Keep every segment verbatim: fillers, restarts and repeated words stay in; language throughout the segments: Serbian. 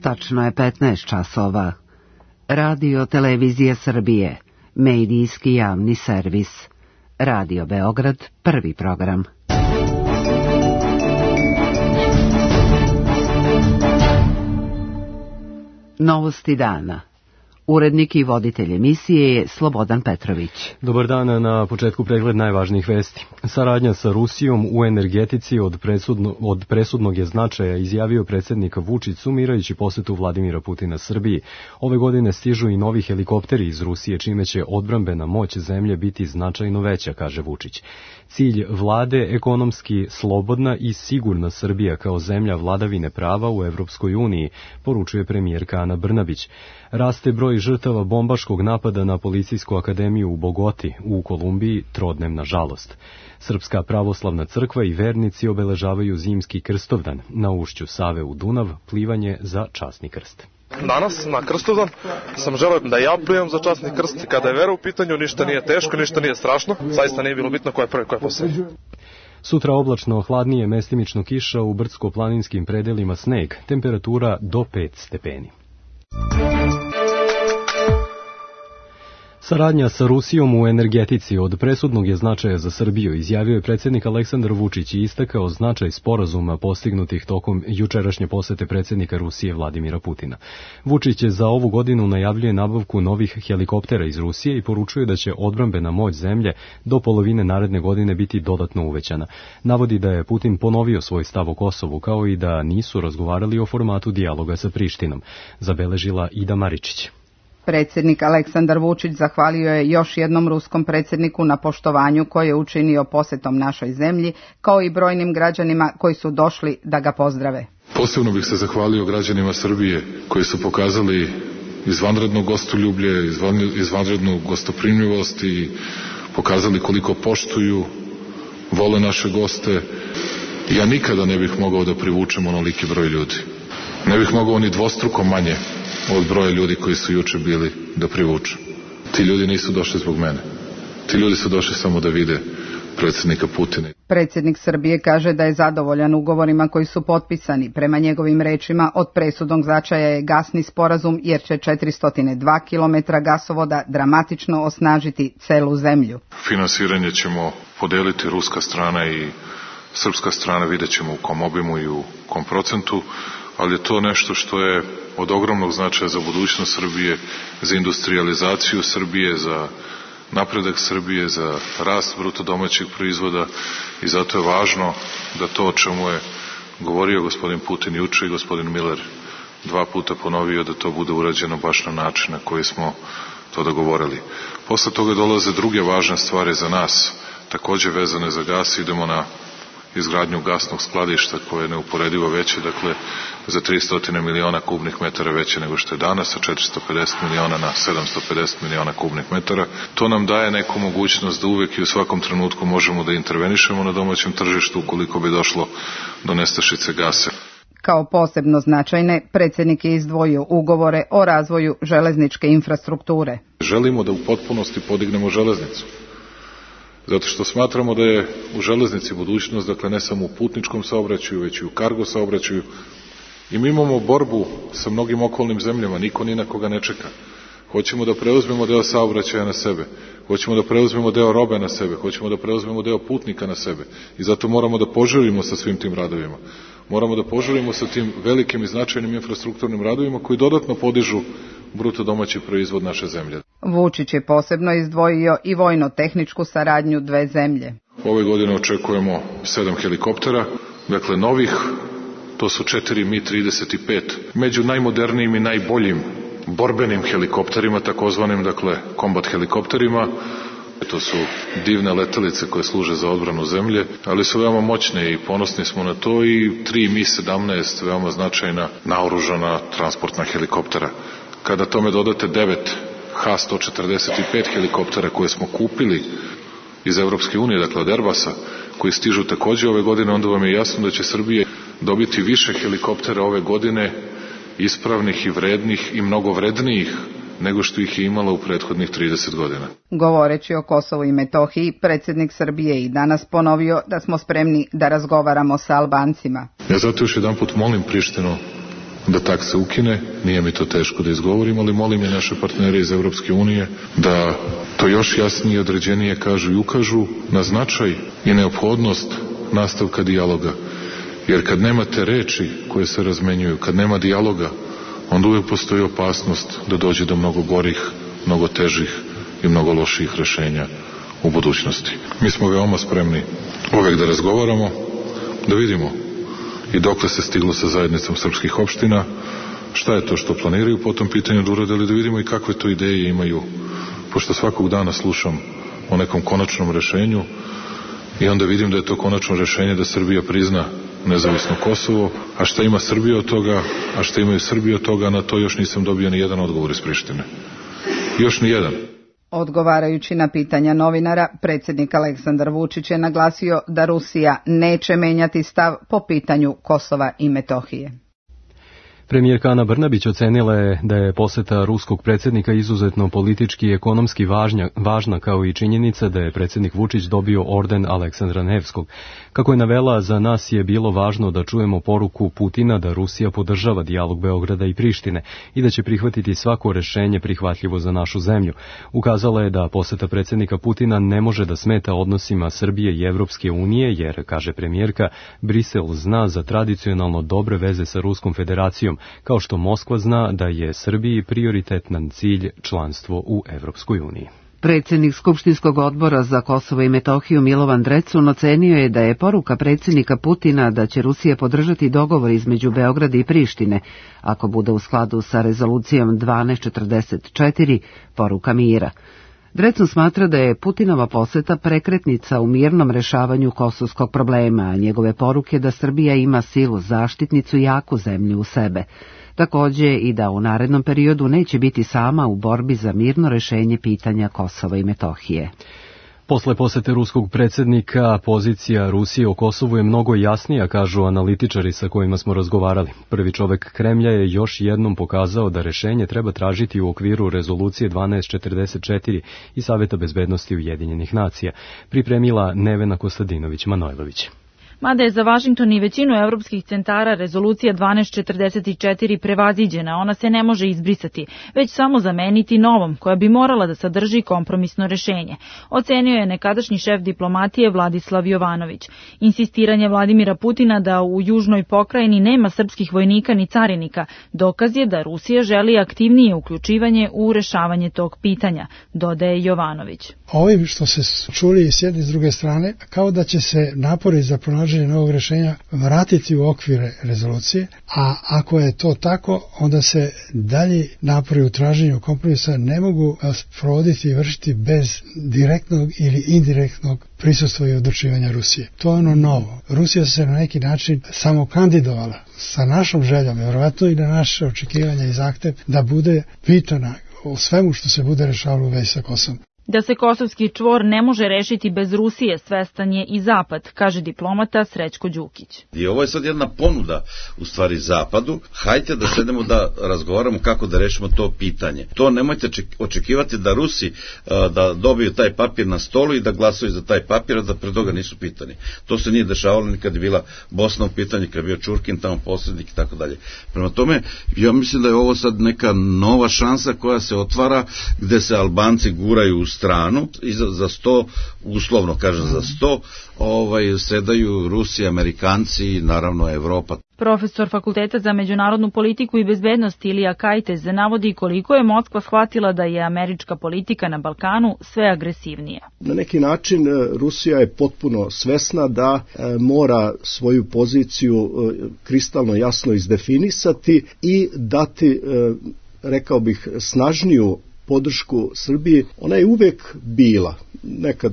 Tačno je petnaest časova. Radio Televizija Srbije, medijski javni servis. Radio Beograd, prvi program. Novosti dana. Urednik i voditelj emisije je Slobodan Petrović. Dobar dan, na početku pregled najvažnijih vesti. Saradnja sa Rusijom u energetici od, presudno, od presudnog je značaja, izjavio predsjednik Vučić sumirajući posetu Vladimira Putina Srbiji. Ove godine stižu i novi helikopteri iz Rusije, čime će odbrambena moć zemlje biti značajno veća, kaže Vučić. Cilj vlade ekonomski slobodna i sigurna Srbija kao zemlja vladavine prava u Evropskoj uniji, poručuje premijerka Ana Brnabić. Raste broj žrtava bombaškog napada na Policijsku akademiju u Bogoti u Kolumbiji, trodnem na žalost. Srpska pravoslavna crkva i vernici obeležavaju zimski krstovdan. Na ušću Save u Dunav plivanje za časni krst. Danas, na Krstovdan, sam želeo da ja plivam za časni krst. Kada je vera u pitanju, ništa nije teško, ništa nije strašno. Zaista nije bilo bitno ko je prvi, ko je posljednji. Sutra oblačno, hladnije, mestimično kiša, u brdsko-planinskim predelima sneg, temperatura do pet stepeni. Saradnja sa Rusijom u energetici od presudnog je značaja za Srbiju, izjavio je predsjednik Aleksandar Vučić i istakao značaj sporazuma postignutih tokom jučerašnje posete predsjednika Rusije Vladimira Putina. Vučić za ovu godinu najavljuje nabavku novih helikoptera iz Rusije i poručuje da će odbrambena moć zemlje do polovine naredne godine biti dodatno uvećana. Navodi da je Putin ponovio svoj stav o Kosovu, kao i da nisu razgovarali o formatu dijaloga sa Prištinom, zabeležila Ida Maričić. Predsjednik Aleksandar Vučić zahvalio je još jednom ruskom predsjedniku na poštovanju koje je učinio posjetom našoj zemlji, kao i brojnim građanima koji su došli da ga pozdrave. Posebno bih se zahvalio građanima Srbije koji su pokazali izvanredno gostoljublje, izvanrednu gostoprimljivost i pokazali koliko poštuju, vole naše goste. Ja nikada ne bih mogao da privučem onoliki broj ljudi. Ne bih mogao ni dvostruko manje od broja ljudi koji su juče bili da privuču. Ti ljudi nisu došli zbog mene. Ti ljudi su došli samo da vide predsjednika Putina. Predsjednik Srbije kaže da je zadovoljan ugovorima koji su potpisani. Prema njegovim rečima, od presudnog značaja je gasni sporazum jer će četiristo dva kilometra gasovoda dramatično osnažiti celu zemlju. Finansiranje ćemo podeliti ruska strana i srpska strana, vidjet ćemo u kom obimu i u kom procentu, ali je to nešto što je od ogromnog značaja za budućnost Srbije, za industrijalizaciju Srbije, za napredak Srbije, za rast bruto domaćeg proizvoda i zato je važno da to o čemu je govorio gospodin Putin juče i gospodin Miller dva puta ponovio, da to bude urađeno baš na način na koji smo to dogovorili. Posle toga dolaze druge važne stvari za nas, takođe vezane za gas. Idemo na izgradnju gasnog skladišta koje je neuporedivo veće, dakle za tristo miliona kubnih metara veće nego što je danas, sa četiristo pedeset miliona na sedamsto pedeset miliona kubnih metara. To nam daje neku mogućnost da uvek i u svakom trenutku možemo da intervenišemo na domaćem tržištu ukoliko bi došlo do nestašice gasa. Kao posebno značajne, predsjednik je izdvojio ugovore o razvoju železničke infrastrukture. Želimo da u potpunosti podignemo železnicu. Zato što smatramo da je u železnici budućnost, dakle ne samo u putničkom saobraćaju, već i u kargo saobraćaju. I mi imamo borbu sa mnogim okolnim zemljama, niko ni na koga ne čeka. Hoćemo da preuzmemo deo saobraćaja na sebe, hoćemo da preuzmemo deo robe na sebe, hoćemo da preuzmemo deo putnika na sebe i zato moramo da požurimo sa svim tim radovima. Moramo da požurimo sa tim velikim i značajnim infrastrukturnim radovima koji dodatno podižu bruto domaći proizvod naše zemlje. Vučić je posebno izdvojio i vojno-tehničku saradnju dve zemlje. Ove godine očekujemo sedam helikoptera, dakle novih, to su četiri M I trideset pet, među najmodernijim i najboljim borbenim helikopterima, takozvanim, dakle, kombat helikopterima. To su divne letelice koje služe za odbranu zemlje, ali su veoma moćne i ponosni smo na to, i tri M I sedamnaest veoma značajna naoružana transportna helikoptera. Kada tome dodate devet H sto četrdeset pet helikoptera koje smo kupili iz Evropske unije, dakle od Airbusa, koji stižu takođe ove godine, onda vam je jasno da će Srbija dobiti više helikoptera ove godine, ispravnih i vrednih i mnogo vrednijih nego što ih je imala u prethodnih trideset godina. Govoreći o Kosovu i Metohiji, predsjednik Srbije i danas ponovio da smo spremni da razgovaramo sa Albancima. Ja zato još jedan put molim Prištinu da takse ukine, nije mi to teško da izgovorim, ali molim i naše partnere iz Evropske unije da to još jasnije i određenije kažu i ukažu na značaj i neophodnost nastavka dijaloga. Jer kad nemate reči koje se razmenjuju, kad nema dijaloga, onda uvijek postoji opasnost da dođe do mnogo gorih, mnogo težih i mnogo loših rešenja u budućnosti. Mi smo veoma spremni uvek da razgovaramo, da vidimo i dokle se stiglo sa zajednicom srpskih opština, šta je to što planiraju po tom pitanju da urade, ali da vidimo i kakve to ideje imaju, pošto svakog dana slušam o nekom konačnom rešenju i onda vidim da je to konačno rešenje da Srbija prizna nezavisno Kosovo, a šta ima Srbija od toga, a šta imaju Srbija od toga, na to još nisam dobio ni jedan odgovor iz Prištine. Još ni jedan. Odgovarajući na pitanja novinara, predsjednik Aleksandar Vučić je naglasio da Rusija neće menjati stav po pitanju Kosova i Metohije. Premijerka Ana Brnabić ocenila je da je poseta ruskog predsjednika izuzetno politički i ekonomski važnja, važna, kao i činjenica da je predsjednik Vučić dobio orden Aleksandra Nevskog. Kako je navela, za nas je bilo važno da čujemo poruku Putina da Rusija podržava dijalog Beograda i Prištine i da će prihvatiti svako rešenje prihvatljivo za našu zemlju. Ukazala je da poseta predsjednika Putina ne može da smeta odnosima Srbije i Evropske unije, jer, kaže premijerka, Brisel zna za tradicionalno dobre veze sa Ruskom federacijom, kao što Moskva zna da je Srbiji prioritetan cilj članstvo u Evropskoj uniji. Predsjednik Skupštinskog odbora za Kosovo i Metohiju Milovan Drecun ocenio je da je poruka predsjednika Putina da će Rusija podržati dogovor između Beograda i Prištine, ako bude u skladu sa rezolucijom dvanaest četrdeset četiri, poruka mira. Drecun smatra da je Putinova poseta prekretnica u mirnom rešavanju kosovskog problema, a njegove poruke da Srbija ima silu zaštitnicu i jaku zemlju u sebe. Takođe i da u narednom periodu neće biti sama u borbi za mirno rešenje pitanja Kosova i Metohije. Posle posete ruskog predsjednika, pozicija Rusije o Kosovu je mnogo jasnija, kažu analitičari sa kojima smo razgovarali. Prvi čovek Kremlja je još jednom pokazao da rešenje treba tražiti u okviru rezolucije dvanaest četrdeset četiri i Saveta bezbednosti Ujedinjenih nacija, pripremila Nevena Kostadinović-Manojlović. Mada je za Vašington i većinu evropskih centara rezolucija dvanaest četrdeset četiri prevaziđena, ona se ne može izbrisati, već samo zameniti novom, koja bi morala da sadrži kompromisno rešenje. Ocenio je nekadašnji šef diplomatije Vladislav Jovanović. Insistiranje Vladimira Putina da u južnoj pokrajini nema srpskih vojnika ni carinika, dokaz je da Rusija želi aktivnije uključivanje u rešavanje tog pitanja, dodaje Jovanović. Ovim što se čuli s jedne i s druge strane, kao da će se napori za pronađenje novog rešenja vratiti u okvire rezolucije, a ako je to tako, onda se dalje napori u traženju kompromisa ne mogu provoditi i vršiti bez direktnog ili indirektnog prisustva i odlučivanja Rusije. To je ono novo. Rusija se na neki način samo kandidovala sa našom željom, vjerovatno i na naše očekivanja i zahtev da bude pitana o svemu što se bude rešavalo u vezi sa Kosovom. Da se kosovski čvor ne može rešiti bez Rusije, svestan je i Zapad, kaže diplomata Srećko Đukić. I ovo je sad jedna ponuda u stvari Zapadu. Hajte da sedemo da razgovaramo kako da rešimo to pitanje. To nemojte očekivati da Rusi da dobiju taj papir na stolu i da glasaju za taj papir, a da pre toga nisu pitani. To se nije dešavalo ni kad je bila Bosna u pitanju, kad je bio Čurkin tamo posrednik i tako dalje. Prema tome, ja mislim da je ovo sad neka nova šansa koja se otvara, gde se Albanci guraju u stranu i za, za sto, uslovno kažem za sto, ovaj, sedaju Rusi, Amerikanci i naravno Evropa. Profesor Fakulteta za međunarodnu politiku i bezbednost Ilija Kajtez navodi koliko je Moskva shvatila da je američka politika na Balkanu sve agresivnija. Na neki način Rusija je potpuno svesna da e, mora svoju poziciju e, kristalno jasno izdefinisati i dati, e, rekao bih, snažniju podršku Srbiji. Ona je uvek bila, nekad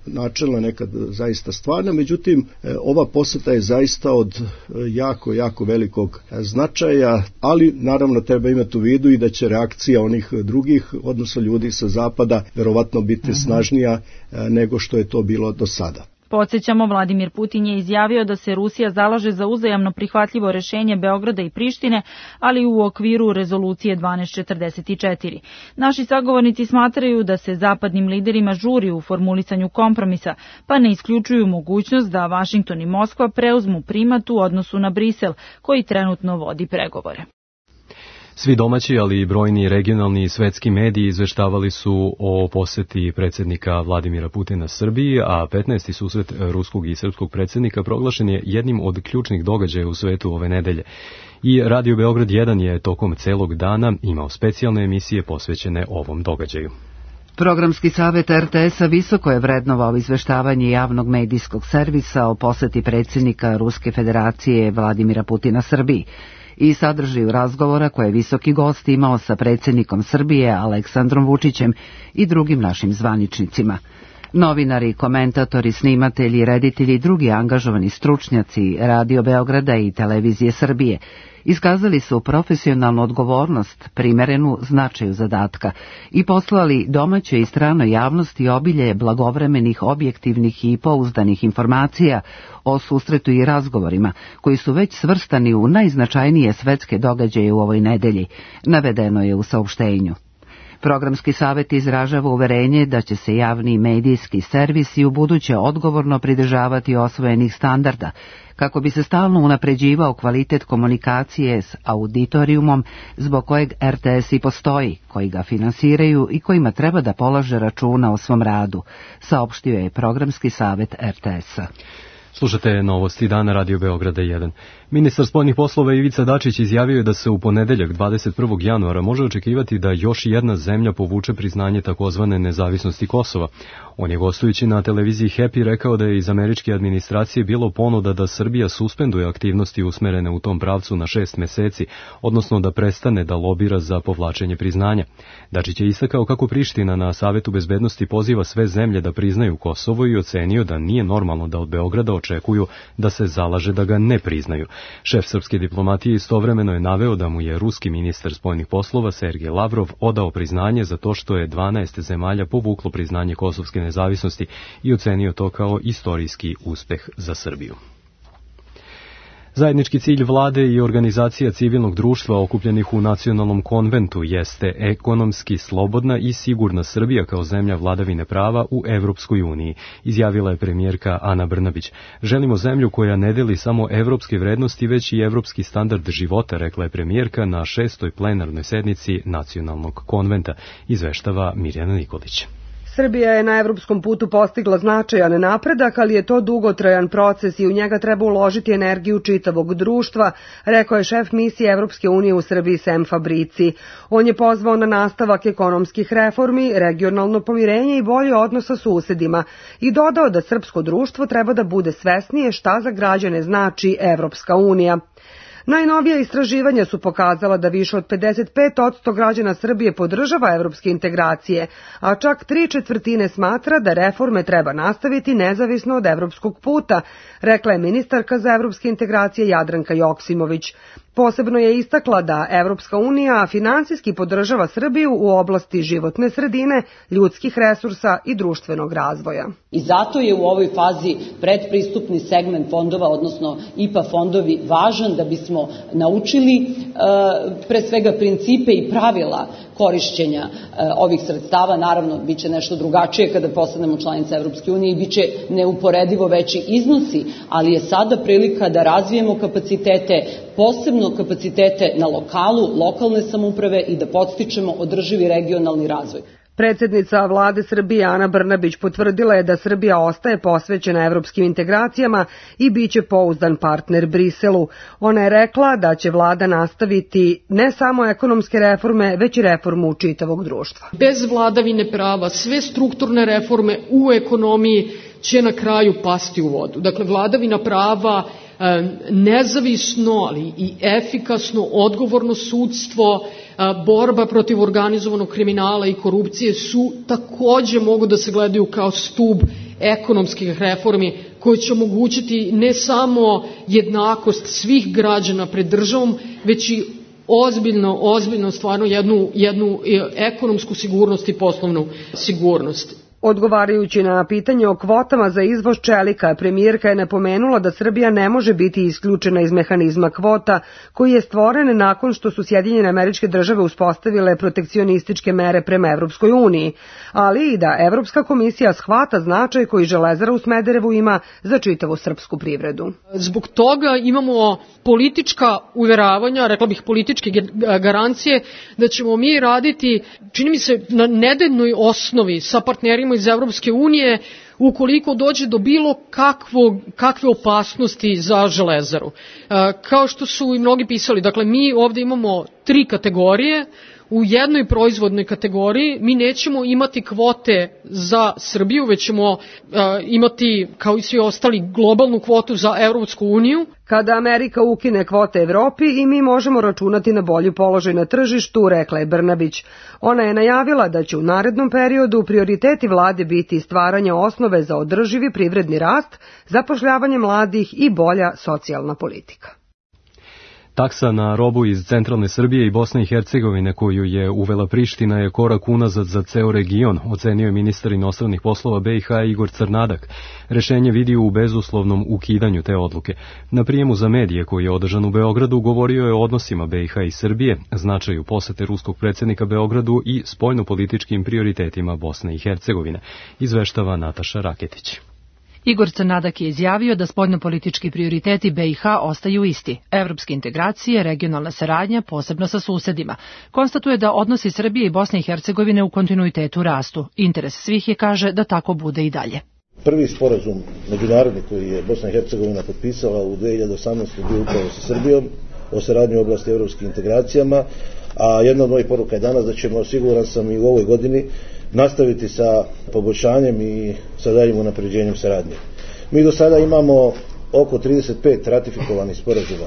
načelna, nekad zaista stvarna, međutim ova poseta je zaista od jako, jako velikog značaja, ali naravno treba imati u vidu i da će reakcija onih drugih, odnosno ljudi sa zapada, verovatno biti snažnija nego što je to bilo do sada. Podsjećamo, Vladimir Putin je izjavio da se Rusija zalaže za uzajamno prihvatljivo rešenje Beograda i Prištine, ali u okviru rezolucije dvanaest četrdeset četiri. Naši sagovornici smatraju da se zapadnim liderima žuri u formulisanju kompromisa, pa ne isključuju mogućnost da Vašington i Moskva preuzmu primat u odnosu na Brisel, koji trenutno vodi pregovore. Svi domaći, ali i brojni regionalni i svetski mediji izveštavali su o poseti predsjednika Vladimira Putina Srbiji, a petnaesti susret ruskog i srpskog predsjednika proglašen je jednim od ključnih događaja u svetu ove nedelje. I Radio Beograd jedan je tokom celog dana imao specijalne emisije posvećene ovom događaju. Programski savjet er te es-a visoko je vrednovao izveštavanje javnog medijskog servisa o poseti predsjednika Ruske federacije Vladimira Putina Srbiji i sadržaju razgovora koje je visoki gost imao sa predsjednikom Srbije Aleksandrom Vučićem i drugim našim zvaničnicima. Novinari, komentatori, snimatelji, reditelji i drugi angažovani stručnjaci Radio Beograda i Televizije Srbije iskazali su profesionalnu odgovornost, primerenu značaju zadatka i poslali domaćoj i stranoj javnosti obilje blagovremenih, objektivnih i pouzdanih informacija o susretu i razgovorima, koji su već svrstani u najznačajnije svetske događaje u ovoj nedelji, navedeno je u saopštenju. Programski savjet izražava uverenje da će se javni medijski servisi u buduće odgovorno pridržavati osvojenih standarda, kako bi se stalno unapređivao kvalitet komunikacije s auditorijumom zbog kojeg er te es i postoji, koji ga finansiraju i kojima treba da polaže računa o svom radu, saopštio je Programski savjet er te es-a. Slušate novosti dana Radio Beograda jedan. Ministar spoljnih poslova Ivica Dačić izjavio je da se u ponedeljak dvadeset prvog januara može očekivati da još jedna zemlja povuče priznanje takozvane nezavisnosti Kosova. On je gostujući na televiziji Happy rekao da je iz američke administracije bilo ponuda da Srbija suspenduje aktivnosti usmerene u tom pravcu na šest meseci, odnosno da prestane da lobira za povlačenje priznanja. Dačić je istakao kako Priština na Savetu bezbednosti poziva sve zemlje da priznaju Kosovo i ocenio da nije normalno da od Beograda očekuju da se zalaže da ga ne priznaju. Šef srpske diplomatije istovremeno je naveo da mu je ruski ministar spoljnih poslova Sergej Lavrov odao priznanje za to što je dvanaest zemalja povuklo priznanje kosovske nezavisnosti i ocenio to kao istorijski uspeh za Srbiju. Zajednički cilj vlade i organizacija civilnog društva okupljenih u nacionalnom konventu jeste ekonomski slobodna i sigurna Srbija kao zemlja vladavine prava u Evropskoj uniji, izjavila je premijerka Ana Brnabić. Želimo zemlju koja ne deli samo evropske vrednosti, već i evropski standard života, rekla je premijerka na šestoj plenarnoj sednici nacionalnog konventa, izveštava Mirjana Nikolić. Srbija je na evropskom putu postigla značajan napredak, ali je to dugotrajan proces i u njega treba uložiti energiju čitavog društva, rekao je šef misije Evropske unije u Srbiji Sem Fabrici. On je pozvao na nastavak ekonomskih reformi, regionalno pomirenje i bolje odnos sa susedima i dodao da srpsko društvo treba da bude svesnije šta za građane znači Evropska unija. Najnovija istraživanja su pokazala da više od pedeset pet posto građana Srbije podržava evropske integracije, a čak tri četvrtine smatra da reforme treba nastaviti nezavisno od evropskog puta, rekla je ministarka za evropske integracije Jadranka Joksimović. Posebno je istakla da Evropska unija finansijski podržava Srbiju u oblasti životne sredine, ljudskih resursa i društvenog razvoja. I zato je u ovoj fazi predpristupni segment fondova, odnosno I P A fondovi, važan da bismo naučili pre svega principe i pravila korišćenja ovih sredstava. Naravno, bit će nešto drugačije kada postanemo članica Evropske unije i bit će neuporedivo veći iznosi, ali je sada prilika da razvijemo kapacitete, posebno kapacitete na lokalu, lokalne samouprave i da podstičemo održivi regionalni razvoj. Predsjednica vlade Srbije Ana Brnabić potvrdila je da Srbija ostaje posvećena evropskim integracijama i bit će pouzdan partner Briselu. Ona je rekla da će vlada nastaviti ne samo ekonomske reforme, već i reformu čitavog društva. Bez vladavine prava sve strukturne reforme u ekonomiji će na kraju pasti u vodu. Dakle, vladavina prava, nezavisno, ali i efikasno, odgovorno sudstvo, borba protiv organizovanog kriminala i korupcije su takođe mogu da se gledaju kao stub ekonomskih reformi koje će omogućiti ne samo jednakost svih građana pred državom, već i ozbiljno, ozbiljno stvarno jednu, jednu ekonomsku sigurnost i poslovnu sigurnost. Odgovarajući na pitanje o kvotama za izvoz čelika, premijerka je napomenula da Srbija ne može biti isključena iz mehanizma kvota, koji je stvoren nakon što su Sjedinjene Američke Države uspostavile protekcionističke mere prema Evropskoj uniji, ali i da Evropska komisija shvata značaj koji Železara u Smederevu ima za čitavu srpsku privredu. Zbog toga imamo politička uveravanja, rekla bih političke garancije, da ćemo mi raditi, čini mi se, na nedeljnoj osnovi sa partnerima iz Evropske unije ukoliko dođe do bilo kakvog, kakve opasnosti za Železaru. Kao što su i mnogi pisali, dakle mi ovde imamo tri kategorije. U jednoj proizvodnoj kategoriji mi nećemo imati kvote za Srbiju, već ćemo uh, imati, kao i svi ostali, globalnu kvotu za Evropsku uniju. Kada Amerika ukine kvote Evropi i mi možemo računati na bolji položaj na tržištu, rekla je Brnabić. Ona je najavila da će u narednom periodu prioriteti vlade biti stvaranje osnove za održivi privredni rast, zapošljavanje mladih i bolja socijalna politika. Taksa na robu iz centralne Srbije i Bosne i Hercegovine koju je uvela Priština je korak unazad za ceo region, ocenio je ministar inostranih poslova B i H Igor Crnadak. Rešenje vidi u bezuslovnom ukidanju te odluke. Na prijemu za medije koji je održan u Beogradu govorio je o odnosima B i H i Srbije, značaju posete ruskog predsjednika Beogradu i spoljnopolitičkim prioritetima Bosne i Hercegovine, izveštava Nataša Raketić. Igor Crnadak je izjavio da spoljnopolitički prioriteti B i H ostaju isti. Evropske integracije, regionalna saradnja, posebno sa susedima. Konstatuje da odnosi Srbije i Bosne i Hercegovine u kontinuitetu rastu. Interes svih je, kaže, da tako bude i dalje. Prvi sporazum međunarodni koji je Bosna i Hercegovina potpisala u dve hiljade osamnaestoj. bio upravo sa Srbijom o saradnji u oblasti evropskih integracijama, a jedna od mojih poruka je danas da ćemo, siguran sam, i u ovoj godini nastaviti sa poboljšanjem i sa daljim unapređenjem saradnje. Mi do sada imamo oko trideset pet ratifikovanih sporazuma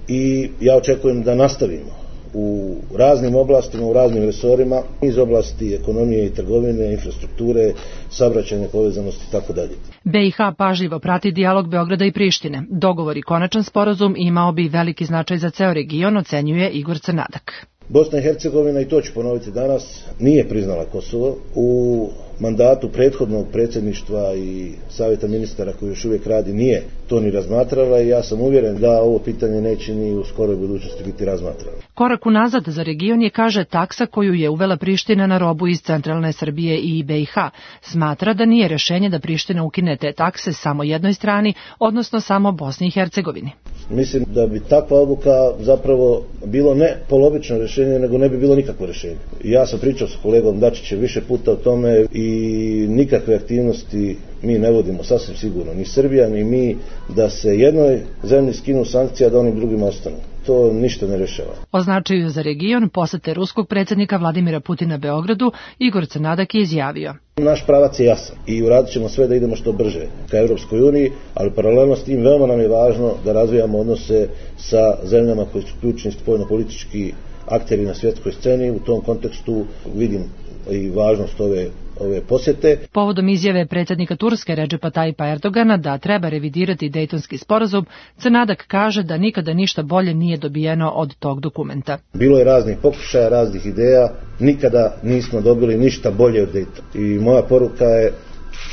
i ja očekujem da nastavimo u raznim oblastima, u raznim resorima, iz oblasti ekonomije i trgovine, infrastrukture, saobraćajne povezanosti i tako dalje. B i H pažljivo prati dijalog Beograda i Prištine. Dogovor i konačan sporazum imao bi veliki značaj za ceo region, ocenjuje Igor Crnadak. Bosna i Hercegovina, i to ću ponoviti danas, nije priznala Kosovo. U mandatu prethodnog predsjedništva i savjeta ministara koji još uvijek radi nije to ni razmatrala i ja sam uvjeren da ovo pitanje neće ni u skoroj budućnosti biti razmatrano. Korak unazad za region je, kaže, taksa koju je uvela Priština na robu iz centralne Srbije i B i H. Smatra da nije rešenje da Priština ukine te takse samo jednoj strani, odnosno samo Bosni i Hercegovini. Mislim da bi takva odluka zapravo bilo ne polovično rešenje, nego ne bi bilo nikakvo rešenje. Ja sam pričao sa kolegom Dačićem više puta o tome i nikakve aktivnosti mi ne vodimo, sasvim sigurno, ni Srbija, ni mi, da se jednoj zemlji skinu sankcija, da onim drugima ostanu. To ništa ne rešava. O značaju za region posete ruskog predsjednika Vladimira Putina Beogradu Igor Crnadak je izjavio. Naš pravac je jasan i uradit ćemo sve da idemo što brže ka Evropskoj uniji, ali paralelno s tim veoma nam je važno da razvijamo odnose sa zemljama koji su ključni spoljnopolitički akteri na svjetskoj sceni. U tom kontekstu vidim i važnost ove ove posjete. Povodom izjave predsjednika Turske Redžepa Tajipa Erdogana da treba revidirati Dejtonski sporazum, Crnadak kaže da nikada ništa bolje nije dobijeno od tog dokumenta. Bilo je raznih pokušaja, raznih ideja, nikada nismo dobili ništa bolje od Dejtona. I moja poruka je,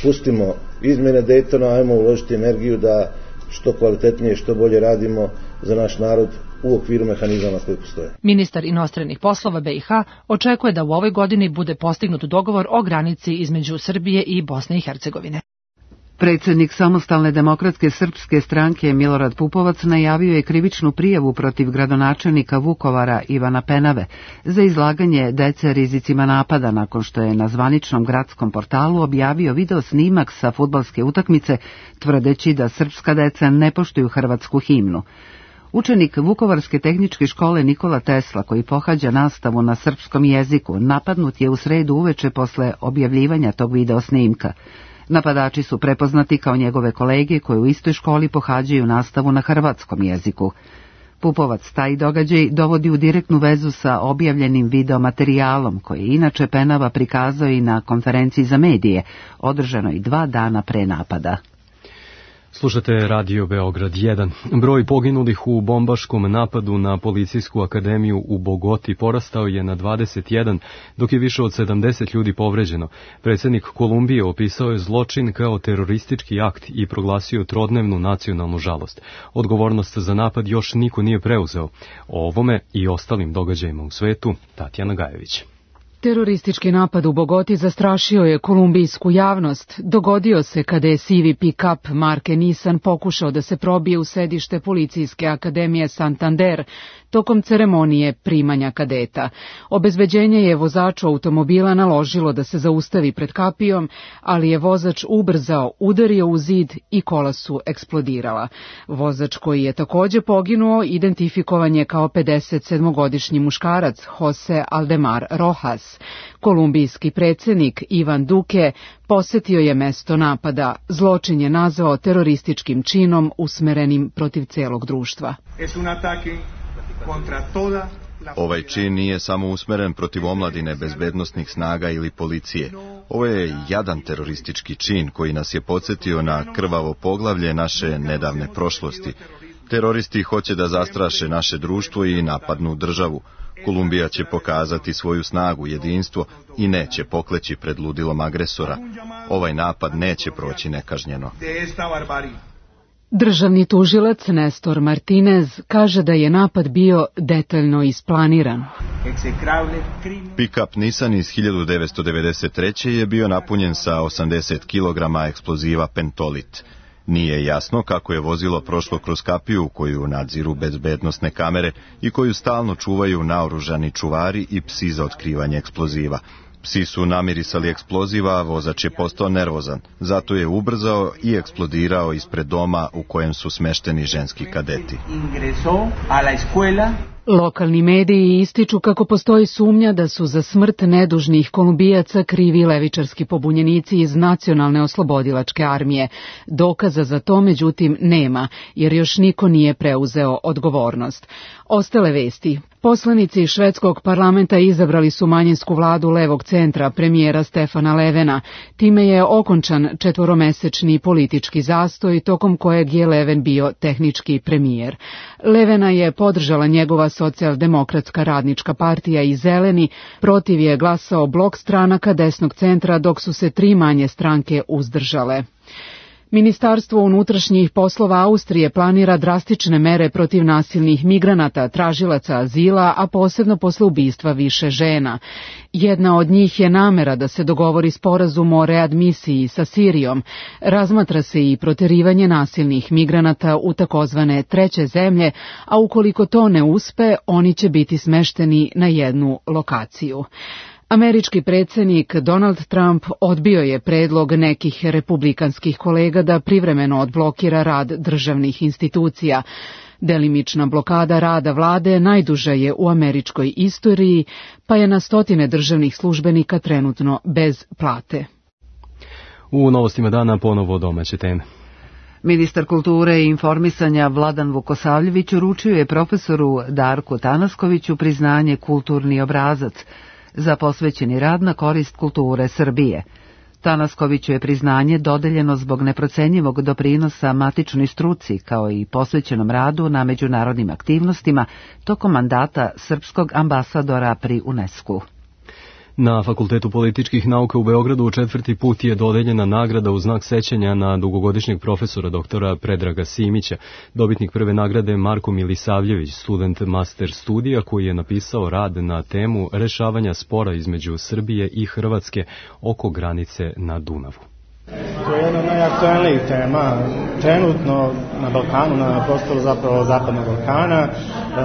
pustimo izmjene Dejtona, ajmo uložiti energiju da što kvalitetnije, što bolje radimo za naš narod u okviru mehanizama koji postoje. Ministar inostranih poslova B i H očekuje da u ovoj godini bude postignut dogovor o granici između Srbije i Bosne i Hercegovine. Predsjednik Samostalne demokratske srpske stranke Milorad Pupovac najavio je krivičnu prijavu protiv gradonačelnika Vukovara Ivana Penave za izlaganje dece rizicima napada nakon što je na zvaničnom gradskom portalu objavio video snimak sa fudbalske utakmice tvrdeći da srpska deca ne poštuju hrvatsku himnu. Učenik Vukovarske tehničke škole Nikola Tesla, koji pohađa nastavu na srpskom jeziku, napadnut je u sredu uveče posle objavljivanja tog video snimka. Napadači su prepoznati kao njegove kolege koji u istoj školi pohađaju nastavu na hrvatskom jeziku. Pupovac taj događaj dovodi u direktnu vezu sa objavljenim videomaterijalom koji je inače Penava prikazao i na konferenciji za medije, održanoj dva dana pre napada. Slušate Radio Beograd jedan. Broj poginulih u bombaškom napadu na policijsku akademiju u Bogoti porastao je na dvadeset jedan, dok je više od sedamdeset ljudi povređeno. Predsjednik Kolumbije opisao je zločin kao teroristički akt i proglasio trodnevnu nacionalnu žalost. Odgovornost za napad još niko nije preuzeo. O ovome i ostalim događajima u svetu, Tatjana Gajević. Teroristički napad u Bogoti zastrašio je kolumbijsku javnost. Dogodio se kada je sivi pick-up marke Nissan pokušao da se probije u sedište policijske akademije Santander tokom ceremonije primanja kadeta. Obezbeđenje je vozaču automobila naložilo da se zaustavi pred kapijom, ali je vozač ubrzao, udario u zid i kola su eksplodirala. Vozač koji je takođe poginuo identifikovan je kao pedesetsedmogodišnji muškarac Jose Aldemar Rojas. Kolumbijski predsjednik Ivan Duque posetio je mesto napada. Zločin je nazvao terorističkim činom usmerenim protiv celog društva. Ovaj čin nije samo usmeren protiv omladine, bezbednosnih snaga ili policije. Ovo je jadan teroristički čin koji nas je podsjetio na krvavo poglavlje naše nedavne prošlosti. Teroristi hoće da zastraše naše društvo i napadnu državu. Kolumbija će pokazati svoju snagu, jedinstvo i neće pokleći pred ludilom agresora. Ovaj napad neće proći nekažnjeno. Državni tužilac Nestor Martinez kaže da je napad bio detaljno isplaniran. Pick-up Nissan iz hiljadu devetsto devedeset treće. je bio napunjen sa osamdeset kilograma eksploziva pentolit. Nije jasno kako je vozilo prošlo kroz kapiju koju nadziru bezbednosne kamere i koju stalno čuvaju naoružani čuvari i psi za otkrivanje eksploziva. Psi su namirisali eksploziva, a vozač je postao nervozan. Zato je ubrzao i eksplodirao ispred doma u kojem su smešteni ženski kadeti. Lokalni mediji ističu kako postoji sumnja da su za smrt nedužnih Kolumbijaca krivi levičarski pobunjenici iz Nacionalne oslobodilačke armije. Dokaza za to, međutim, nema, jer još niko nije preuzeo odgovornost. Ostale vesti. Poslanici švedskog parlamenta izabrali su manjinsku vladu levog centra, premijera Stefana Levena. Time je okončan četvoromesečni politički zastoj, tokom kojeg je Leven bio tehnički premijer. Levena je podržala njegova socijaldemokratska radnička partija i Zeleni, protiv je glasao blok stranaka desnog centra, dok su se tri manje stranke uzdržale. Ministarstvo unutrašnjih poslova Austrije planira drastične mere protiv nasilnih migranata, tražilaca azila, a posebno posle ubistva više žena. Jedna od njih je namera da se dogovori sporazum o readmisiji sa Sirijom. Razmatra se i proterivanje nasilnih migranata u takozvane treće zemlje, a ukoliko to ne uspe, oni će biti smešteni na jednu lokaciju. Američki predsjednik Donald Trump odbio je predlog nekih republikanskih kolega da privremeno odblokira rad državnih institucija. Delimična blokada rada vlade najduža je u američkoj istoriji, pa je na stotine državnih službenika trenutno bez plate. U novostima dana ponovo domaće teme. Ministar kulture i informisanja Vladan Vukosavljević uručio je profesoru Darku Tanaskoviću priznanje Kulturni obrazac za posvećeni rad na korist kulture Srbije. Tanaskoviću je priznanje dodeljeno zbog neprocenjivog doprinosa matičnoj struci kao i posvećenom radu na međunarodnim aktivnostima tokom mandata srpskog ambasadora pri UNESCO-u. Na Fakultetu političkih nauka u Beogradu četvrti put je dodeljena nagrada u znak sećanja na dugogodišnjeg profesora doktora Predraga Simića. Dobitnik prve nagrade Marko Milisavljević, student master studija koji je napisao rad na temu rešavanja spora između Srbije i Hrvatske oko granice na Dunavu. To je jedna od najaktualnijih tema trenutno na Balkanu, na prostoru zapravo Zapadnog Balkana.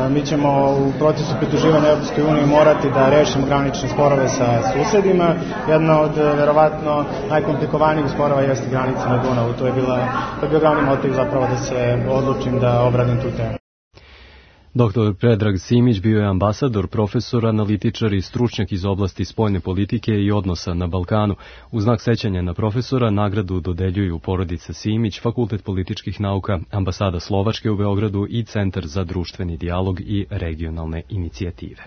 Mi ćemo u procesu pridruživanja Europskoj uniji morati da rešimo granične sporove sa susedima. Jedna od verovatno najkomplikovanijih sporova jeste granica na Dunavu. To je, bila, to je bio glavni motiv zapravo da se odlučim da obradim tu temu. Doktor Predrag Simić bio je ambasador, profesor, analitičar i stručnjak iz oblasti spoljne politike i odnosa na Balkanu. U znak sećanja na profesora nagradu dodeljuju porodica Simić, Fakultet političkih nauka, ambasada Slovačke u Beogradu i Centar za društveni dijalog i regionalne inicijative.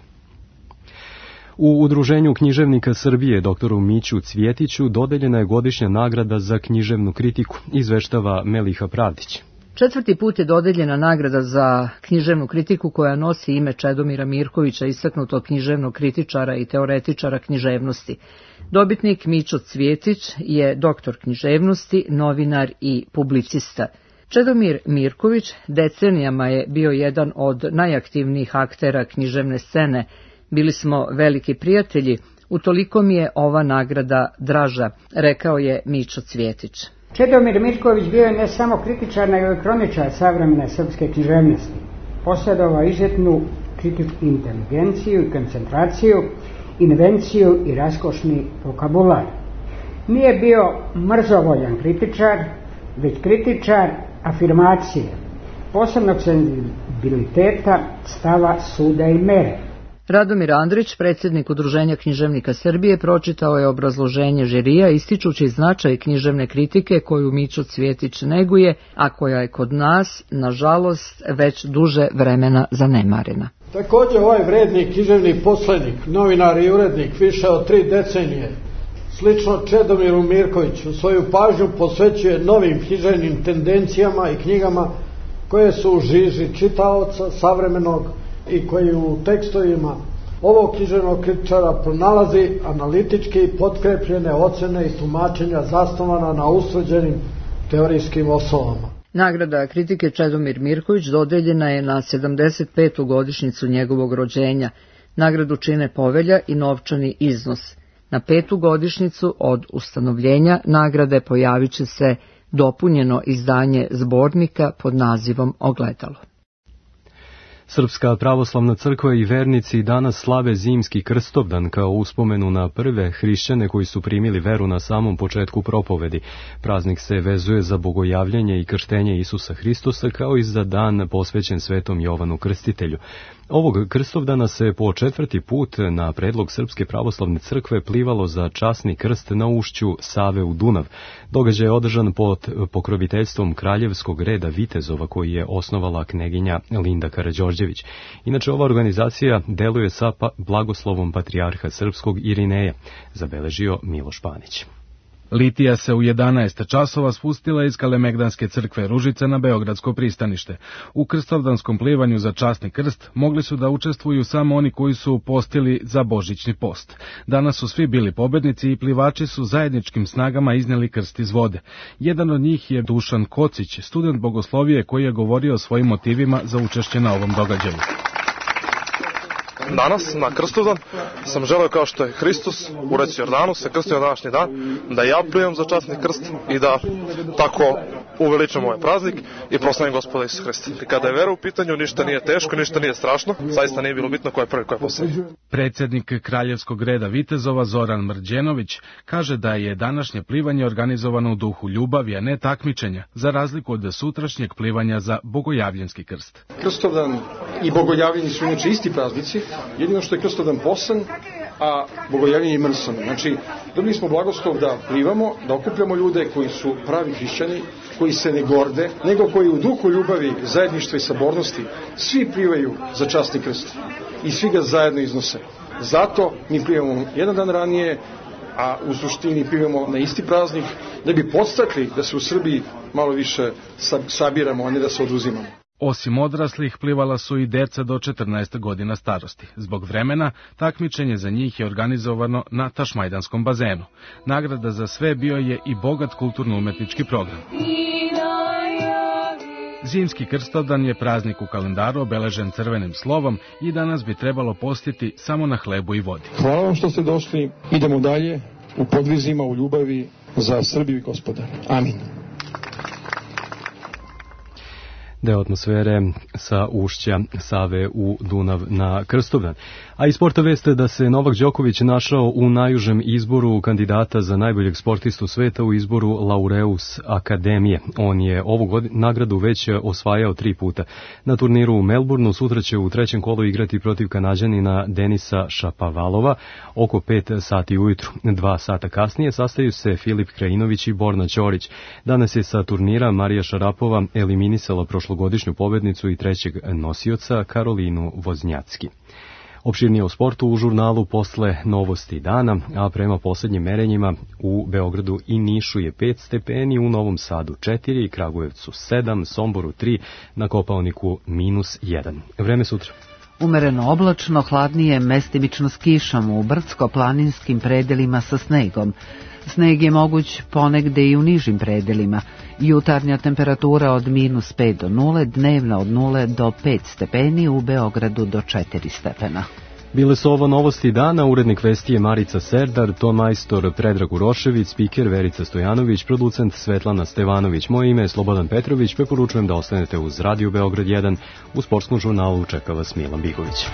U Udruženju književnika Srbije doktoru Miću Cvjetiću dodeljena je godišnja nagrada za književnu kritiku, izveštava Meliha Pravdić. Četvrti put je dodeljena nagrada za književnu kritiku koja nosi ime Čedomira Mirkovića, istaknutog književnog kritičara i teoretičara književnosti. Dobitnik Mićo Cvjetić je doktor književnosti, novinar i publicista. Čedomir Mirković decenijama je bio jedan od najaktivnijih aktera književne scene. Bili smo veliki prijatelji, utoliko mi je ova nagrada draža, rekao je Mićo Cvjetić. Čedomir Mirković bio je ne samo kritičar, nego i kroničar savremene srpske književnosti. Posjedovao izuzetnu kritičku inteligenciju i koncentraciju, invenciju i raskošni vokabular. Nije bio mrzovoljan kritičar, već kritičar afirmacije, posebnog senzibiliteta, stava, suda i mere. Radomir Andrić, predsjednik Udruženja književnika Srbije, pročitao je obrazloženje žirija ističući značaj književne kritike koju Mićo Cvjetić neguje, a koja je kod nas, nažalost, već duže vremena zanemarena. Također ovaj vredni književni poslednik, novinar i urednik više od tri decenije, slično Čedomiru Mirkoviću, svoju pažnju posvećuje novim književnim tendencijama i knjigama koje su u žiži čitaoca savremenog i koji u tekstovima ovog književnog kritičara pronalazi analitički potkrepljene ocene i tumačenja zasnovana na ustvrđenim teorijskim osnovama. Nagrada kritike Čedomir Mirković dodeljena je na sedamdeset petu godišnjicu njegovog rođenja. Nagradu čine povelja i novčani iznos. Na petu godišnjicu od ustanovljenja nagrade pojavit će se dopunjeno izdanje zbornika pod nazivom Ogledalo. Srpska pravoslavna crkva i vernici danas slave zimski Krstovdan kao uspomenu na prve hrišćane koji su primili veru na samom početku propovedi. Praznik se vezuje za bogojavljenje i krštenje Isusa Hristosa kao i za dan posvećen Svetom Jovanu Krstitelju. Ovog Krstovdana se po četvrti put na predlog Srpske pravoslavne crkve plivalo za časni krst na ušću Save u Dunav. Događaj je održan pod pokroviteljstvom kraljevskog reda vitezova koji je osnovala kneginja Linda Karađorđević. Inače, ova organizacija deluje sa pa blagoslovom patrijarha srpskog Irineja, zabeležio Miloš Panić. Litija se u jedanaest časova spustila iz Kalemegdanske crkve Ružica na Beogradsko pristanište. U krstovdanskom plivanju za časni krst mogli su da učestvuju samo oni koji su postili za božićni post. Danas su svi bili pobednici i plivači su zajedničkim snagama izneli krst iz vode. Jedan od njih je Dušan Kocić, student bogoslovije koji je govorio o svojim motivima za učešće na ovom događaju. Danas, na Krstovdan, sam želeo kao što je Hristos u reci Jordanu se krstio na današnji dan, da ja plivam za časni krst i da tako uveličam ovaj praznik i proslavim Gospoda Isusa Hrista. I kada je vera u pitanju, ništa nije teško, ništa nije strašno, zaista nije bilo bitno ko je prvi, ko je posljednji. Predsjednik kraljevskog reda vitezova Zoran Mrđenović kaže da je današnje plivanje organizovano u duhu ljubavi, a ne takmičenja, za razliku od sutrašnjeg plivanja za bogojavljenski krst. Krstovdan i bogojavljenje su inače isti praznici, jedino što je Krstovdan posan, a bogojavljenje je mrsan. Znači, dobili smo blagoslov da plivamo, da okupljamo ljude koji su pravi hrišćani, koji se ne gorde, nego koji u duhu ljubavi, zajedništva i sabornosti svi plivaju za časni krst i svi ga zajedno iznose. Zato mi plivamo jedan dan ranije, a u suštini plivamo na isti praznik, da bi podstakli da se u Srbiji malo više sabiramo, a ne da se oduzimamo. Osim odraslih, plivala su i deca do četrnaest godina starosti. Zbog vremena, takmičenje za njih je organizovano na Tašmajdanskom bazenu. Nagrada za sve bio je i bogat kulturno-umetnički program. Zimski Krstovdan je praznik u kalendaru obeležen crvenim slovom i danas bi trebalo postiti samo na hlebu i vodi. Hvala vam što ste došli. Idemo dalje u podvizima, u ljubavi za Srbiju i Gospodara. Amin. Deo atmosfere sa ušća Save u Dunav na Krstovdan. A i sporta veste da se Novak Đoković našao u najužem izboru kandidata za najboljeg sportistu sveta u izboru Laureus Akademije. On je ovu godinu nagradu već osvajao tri puta. Na turniru u Melbourneu sutra će u trećem kolu igrati protiv Kanađanina Denisa Šapovalova oko pet sati ujutru. Dva sata kasnije sastaju se Filip Krajinović i Borna Ćorić. Danas je sa turnira Marija Šarapova eliminisala prošlogodišnju pobednicu i trećeg nosioca Karolinu Voznjacki. Opširnije o sportu u žurnalu posle novosti dana, a prema poslednjim merenjima u Beogradu i Nišu je pet stepeni, u Novom Sadu četiri, Kragujevcu sedam, Somboru tri, na Kopaoniku minus jedan. Vreme sutra. Umereno oblačno, hladnije, mestimično s kišom u brdsko-planinskim predelima sa snegom. Sneg je moguć ponegde i u nižim predelima. Jutarnja temperatura od minus pet do nule, dnevna od nule do pet stepeni, u Beogradu do četiri stepena. Bile su ovo novosti dana, urednik vesti je Marica Serdar, ton majstor Predrag Urošević, spiker Verica Stojanović, producent Svetlana Stevanović. Moje ime je Slobodan Petrović, preporučujem da ostanete uz Radio Beograd jedan, u sportskom žurnalu čeka vas Milan Bigović.